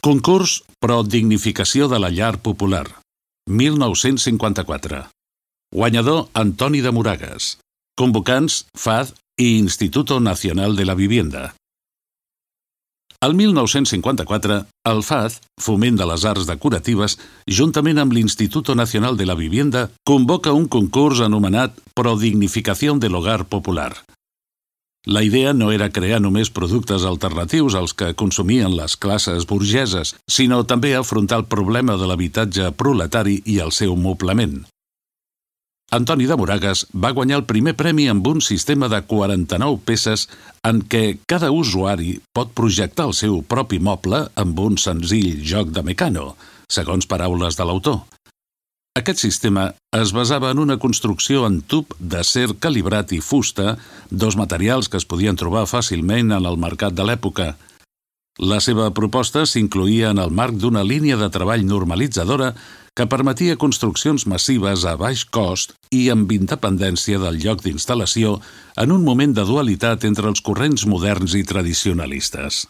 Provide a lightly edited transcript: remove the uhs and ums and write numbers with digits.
Concurs pro dignificació de la llar popular, 1954. Guanyador Antoni de Moragas. Convocants FAD i Instituto Nacional de la Vivienda. El 1954, el FAD, Foment de les Arts Decoratives, juntament amb l'Instituto Nacional de la Vivienda, convoca un concurs anomenat Pro Dignificación del Hogar Popular. La idea no era crear només productes alternatius als que consumien les classes burgeses, sinó també afrontar el problema de l'habitatge proletari i el seu moblament. Antoni de Moragas va guanyar el primer premi amb un sistema de 49 peces en què cada usuari pot projectar el seu propi moble amb un senzill joc de mecano, segons paraules de l'autor. Aquest sistema es basava en una construcció en tub d'acer calibrat i fusta, dos materials que es podien trobar fàcilment en el mercat de l'època. La seva proposta s'incloïa en el marc d'una línia de treball normalitzadora que permetia construccions massives a baix cost i amb independència del lloc d'instal·lació en un moment de dualitat entre els corrents moderns i tradicionalistes.